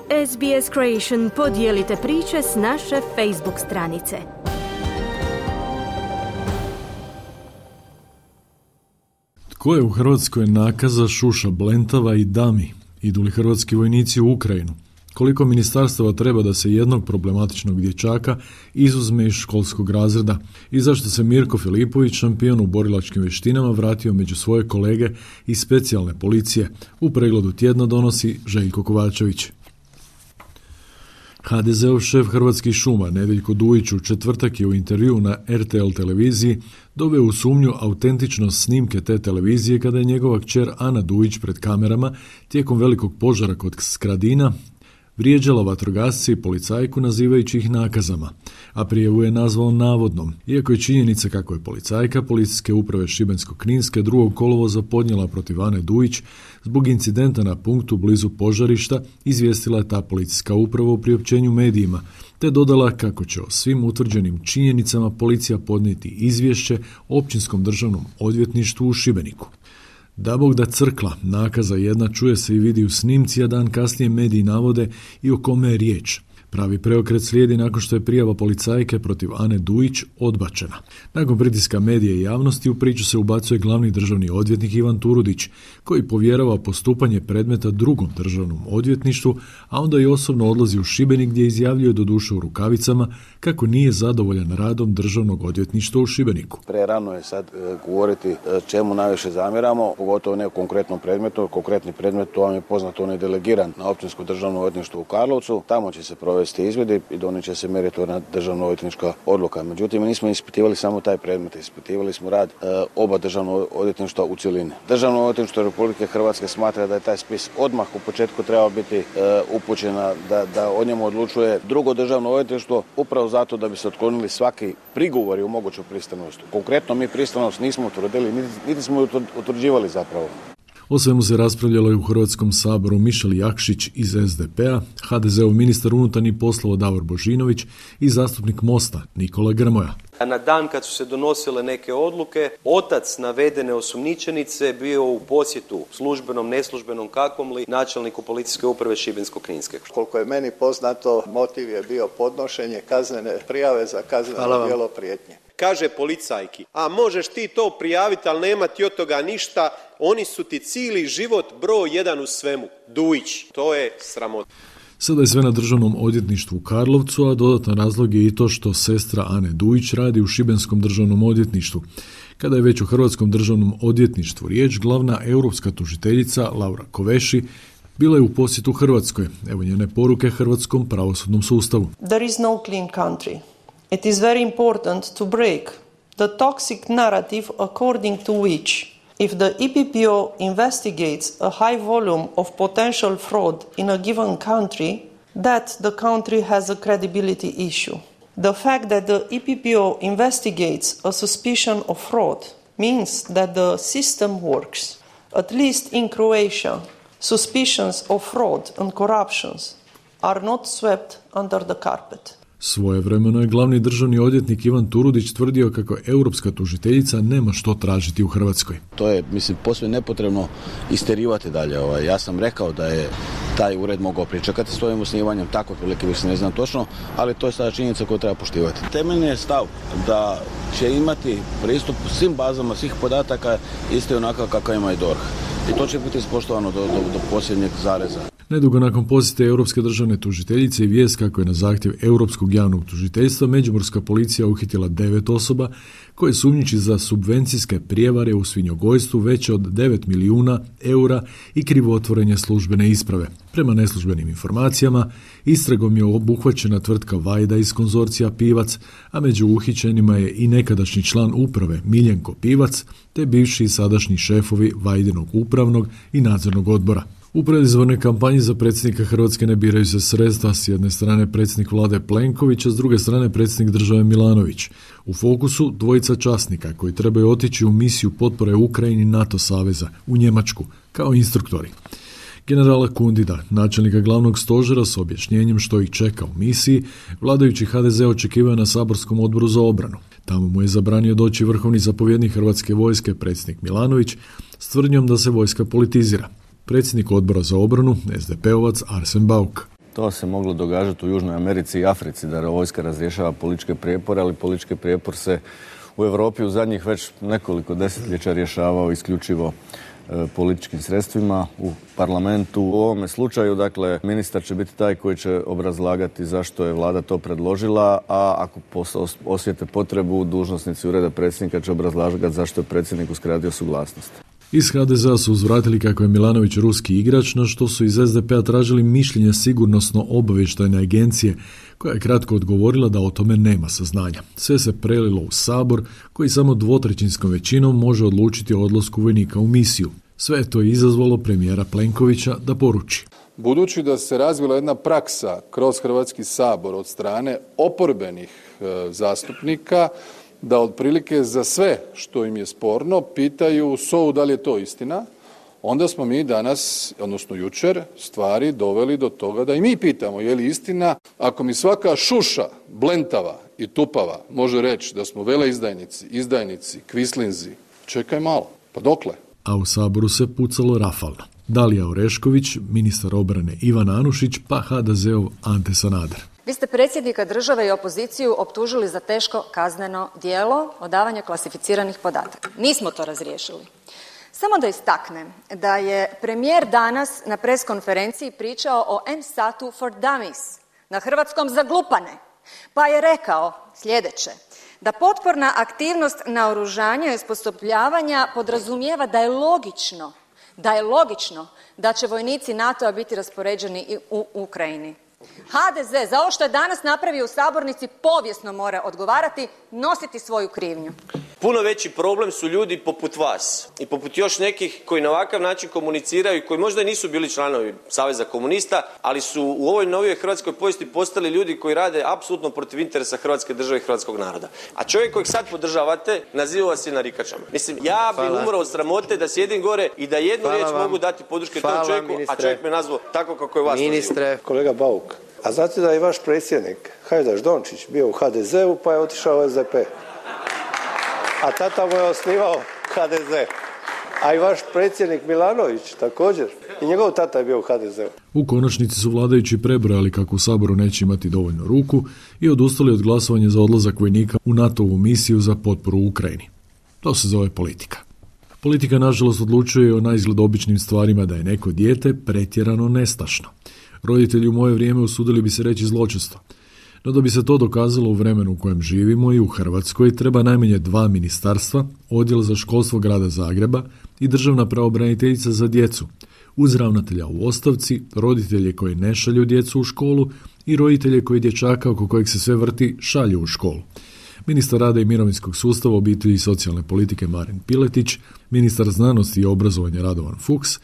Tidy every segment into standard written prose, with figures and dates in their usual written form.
SBS Creation podijelite priče s naše Facebook stranice. Tko je u Hrvatskoj nakaza, šuša, blentava i dami? Idu li hrvatski vojnici u Ukrajinu? Koliko ministarstava treba da se jednog problematičnog dječaka izuzme iz školskog razreda? I zašto se Mirko Filipović, šampion u borilačkim vještinama, vratio među svoje kolege iz specijalne policije? U pregledu tjedna donosi Željko Kovačević. HDZ-ov šef Hrvatskih šuma Nedeljko Dujić u četvrtak je u intervjuu na RTL televiziji doveo u sumnju autentičnost snimke te televizije kada je njegova kćer Ana Dujić pred kamerama tijekom velikog požara kod Skradina vrijeđala vatrogasce i policajku nazivajući ih nakazama, a prijavu je nazvao navodnom, iako je činjenica kako je policajka policijske uprave Šibensko-kninske 2. kolovoza podnijela protiv Ane Dujić zbog incidenta na punktu blizu požarišta, izvijestila je ta policijska uprava u priopćenju medijima, te dodala kako će o svim utvrđenim činjenicama policija podnijeti izvješće Općinskom državnom odvjetništvu u Šibeniku. Da Bog da crkla, nakaza jedna čuje se i vidi u snimci, a dan kasnije mediji navode i o kome je riječ. Pravi preokret slijedi nakon što je prijava policajke protiv Ane Dujić odbačena. Nakon pritiska medija i javnosti u priču se ubacuje glavni državni odvjetnik Ivan Turudić, koji povjerava postupanje predmeta drugom državnom odvjetništvu, a onda i osobno odlazi u Šibenik gdje izjavljuje doduše u rukavicama kako nije zadovoljan radom državnog odvjetništva u Šibeniku. Prerano je sad govoriti čemu najviše zamjeramo, pogotovo ne u konkretnom predmetu. Konkretni predmet, to vam je poznato, on je delegiran na Općinsko državno odvjetništvo u Karlovcu. Tamo će se provesti izvidi i donijet će se meritorna državno odvjetnička odluka. Međutim, mi nismo ispitivali samo taj predmet, ispitivali smo rad oba državno odvjetništva u cjelini. Državno odvjetništvo Republike Hrvatske smatra da je taj spis odmah u početku trebao biti upućena da o njemu odlučuje drugo državno odvjetništvo, upravo zato da bi se otklonili svaki prigovori u moguću pristranost. Konkretno mi pristranost nismo utvrdili, niti smo ju utvrđivali zapravo. O svemu se raspravljalo i u Hrvatskom saboru. Mišel Jakšić iz SDP-a, HDZ-ov ministar unutarnjih poslova Davor Božinović i zastupnik Mosta Nikola Grmoja. A na dan kad su se donosile neke odluke, otac navedene osumnjičenice bio u posjetu službenom, neslužbenom, kakvom li, načelniku policijske uprave Šibensko-kninske. Koliko je meni poznato, motiv je bio podnošenje kaznene prijave za kazneno djelo prijetnje. Kaže policajki, a možeš ti to prijaviti, ali nema ti od toga ništa, oni su ti cijeli život broj 1 u svemu. Dujić, to je sramota. Sada je sve na državnom odvjetništvu u Karlovcu, a dodatan razlog je i to što sestra Ane Dujić radi u Šibenskom državnom odvjetništvu. Kada je već u Hrvatskom državnom odvjetništvu riječ, glavna europska tužiteljica Laura Koveši bila je u posjetu Hrvatskoj. Evo njene poruke hrvatskom pravosudnom sustavu. There is no clean country. It is very important to break the toxic narrative according to which, if the EPPO investigates a high volume of potential fraud in a given country, that the country has a credibility issue. The fact that the EPPO investigates a suspicion of fraud means that the system works. At least in Croatia, suspicions of fraud and corruptions are not swept under the carpet. Svojevremeno je glavni državni odvjetnik Ivan Turudić tvrdio kako europska tužiteljica nema što tražiti u Hrvatskoj. To je, posve nepotrebno isterivati dalje. Ja sam rekao da je taj ured mogao pričekati s svojim osnivanjem, tako prilike više ne znam točno, ali to je sada činjenica koju treba poštivati. Temeljni je stav da će imati pristup svim bazama, svih podataka isto onako kakav ima i DORH. I to će biti ispoštovano do posljednjeg zareza. Nedugo nakon posjete Europske državne tužiteljice i vijest kako je na zahtjev Europskog javnog tužiteljstva međimurska policija uhitila 9 osoba koje sumnjiči za subvencijske prijevare u svinjogojstvu veće od 9 milijuna eura i krivotvorenje službene isprave. Prema neslužbenim informacijama, istragom je obuhvaćena tvrtka Vajda iz konzorcija Pivac, a među uhićenima je i nekadašnji član uprave Miljenko Pivac, te bivši i sadašnji šefovi Vajdinog upravnog i nadzornog odbora. U predizbornoj kampanji za predsjednika Hrvatske ne biraju se sredstva, s jedne strane predsjednik vlade Plenković, a s druge strane predsjednik države Milanović. U fokusu dvojica časnika koji trebaju otići u misiju potpore Ukrajini NATO saveza u Njemačku kao instruktori. Generala Kundida, načelnika glavnog stožera s objašnjenjem što ih čeka u misiji, vladajući HDZ očekivaju na saborskom odboru za obranu. Tamo mu je zabranio doći vrhovni zapovjednik Hrvatske vojske, predsjednik Milanović, s tvrdnjom da se vojska politizira. Predsjednik odbora za obranu, SDP-ovac Arsen Bauk. To se moglo događati u Južnoj Americi i Africi, da vojska razrješava političke prijepore, ali politički prijepor se u Europi u zadnjih već nekoliko desetljeća rješavao isključivo političkim sredstvima u parlamentu. U ovome slučaju, dakle, ministar će biti taj koji će obrazlagati zašto je vlada to predložila, a ako osjete potrebu, dužnosnici ureda predsjednika će obrazlagati zašto je predsjednik uskratio suglasnost. Iz HDZ-a su uzvratili kako je Milanović ruski igrač, na što su iz SDP-a tražili mišljenje sigurnosno-obavještajne agencije, koja je kratko odgovorila da o tome nema saznanja. Sve se prelilo u Sabor, koji samo 2/3 većinom može odlučiti o odlasku vojnika u misiju. Sve je to izazvalo premijera Plenkovića da poruči. Budući da se razvila jedna praksa kroz Hrvatski sabor od strane oporbenih zastupnika, da otprilike za sve što im je sporno pitaju SOA-u da li je to istina, onda smo mi danas, odnosno jučer, stvari doveli do toga da i mi pitamo je li istina. Ako mi svaka šuša, blentava i tupava može reći da smo veleizdajnici, izdajnici, kvislinzi, čekaj malo, pa dokle? A u Saboru se pucalo rafalno. Dalija Orešković, ministar obrane Ivan Anušić, pa HDZ-ov Ante Sanader. Vi ste predsjednika države i opoziciju optužili za teško kazneno djelo odavanja klasificiranih podataka. Nismo to razriješili. Samo da istaknem da je premijer danas na pres konferenciji pričao o M-Satu for Dummies, na hrvatskom za glupane, pa je rekao sljedeće, da potporna aktivnost naoružanja i osposobljavanja podrazumijeva da je logično da će vojnici NATO-a biti raspoređeni i u Ukrajini. HDZ za ovo što je danas napravio u sabornici povijesno mora odgovarati, nositi svoju krivnju. Puno veći problem su ljudi poput vas i poput još nekih koji na ovakav način komuniciraju i koji možda i nisu bili članovi Saveza komunista, ali su u ovoj novijoj hrvatskoj povijesti postali ljudi koji rade apsolutno protiv interesa Hrvatske države i hrvatskog naroda. A čovjek kojeg sad podržavate naziva vas i narikačama. Mislim, ja bi umro od sramote da sjedim gore i da jednu riječ mogu dati podrške tom čovjeku, a čovjek me nazvao tako kako je vas naziva. Kolega Bauk, a znate da je vaš predsjednik Hajdaš Dončić bio u HDZ-u pa je otišao u SDP. A tata mu je osnivao HDZ. A i vaš predsjednik Milanović također. I njegov tata je bio u HDZ-u. U konačnici su vladajući prebrojali kako u Saboru neće imati dovoljno ruku i odustali od glasovanja za odlazak vojnika u NATO-vu misiju za potporu u Ukrajini. To se zove politika. Politika nažalost odlučuje o naizgled običnim stvarima da je neko dijete pretjerano nestašno. Roditelji u moje vrijeme usudili bi se reći zločesto. No da bi se to dokazalo u vremenu u kojem živimo i u Hrvatskoj, treba najmanje 2 ministarstva, odjel za školstvo grada Zagreba i državna pravobraniteljica za djecu, uz ravnatelja u ostavci, roditelje koji ne šalju djecu u školu i roditelje koji dječaka oko kojeg se sve vrti šalju u školu. Ministar rada i mirovinskog sustava, obitelji i socijalne politike Marin Piletić, ministar znanosti i obrazovanja Radovan Fuchs,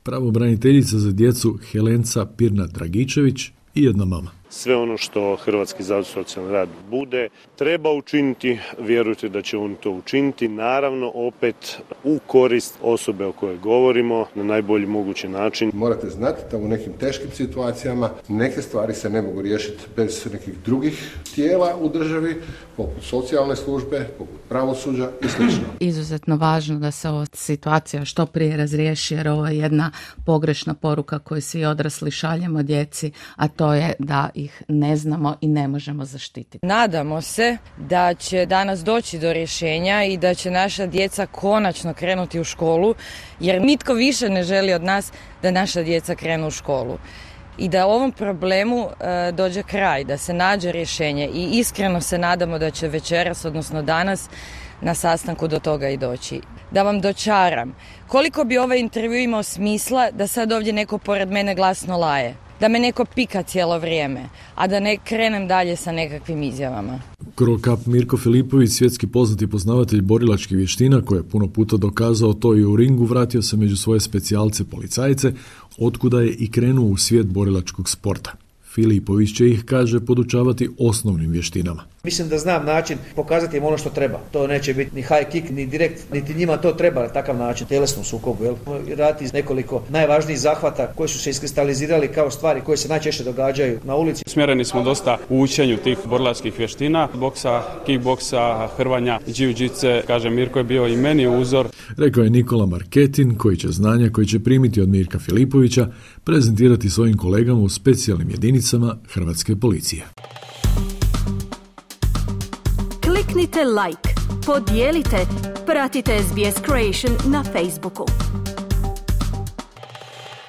pravobraniteljica za djecu Helenca Pirnat-Dragičević i jedna mama. Sve ono što Hrvatski zavod za socijalni rad bude treba učiniti, vjerujte da će on to učiniti, naravno opet u korist osobe o kojoj govorimo na najbolji mogući način. Morate znati da u nekim teškim situacijama neke stvari se ne mogu riješiti bez nekih drugih tijela u državi, poput socijalne službe, poput pravosuđa i sl. Izuzetno važno da se ova situacija što prije razriješi, jer ovo je jedna pogrešna poruka koju svi odrasli šaljemo djeci, a to je da ih ne znamo i ne možemo zaštititi. Nadamo se da će danas doći do rješenja i da će naša djeca konačno krenuti u školu, jer nitko više ne želi od nas da naša djeca krenu u školu. I da ovom problemu dođe kraj, da se nađe rješenje i iskreno se nadamo da će večeras, odnosno danas, na sastanku do toga i doći. Da vam dočaram, koliko bi ovaj intervju imao smisla da sad ovdje neko pored mene glasno laje, da me neko pika cijelo vrijeme, a da ne krenem dalje sa nekakvim izjavama. Krokap Mirko Filipović, svjetski poznati poznavatelj borilačkih vještina, koji je puno puta dokazao to i u ringu, vratio se među svoje specijalce policajce, otkuda je i krenuo u svijet borilačkog sporta. Filipović će ih, kaže, podučavati osnovnim vještinama. Mislim da znam način pokazati im ono što treba. To neće biti ni high kick, ni direkt, niti njima to treba na takav način, tjelesnom sukobu. Raditi nekoliko najvažnijih zahvata koji su se iskristalizirali kao stvari koje se najčešće događaju na ulici. Smjereni smo dosta u učenju tih borilačkih vještina, boksa, kickboksa, hrvanja, jiu-jitsu. Kaže, Mirko je bio i meni uzor. Rekao je Nikola Marketin, koji će znanja koji će primiti od Mirka Filipovića prezentirati svojim kolegama u specijalnim jedinicama Hrvatske policije. Kliknite like, podijelite, pratite SBS Creation na Facebooku.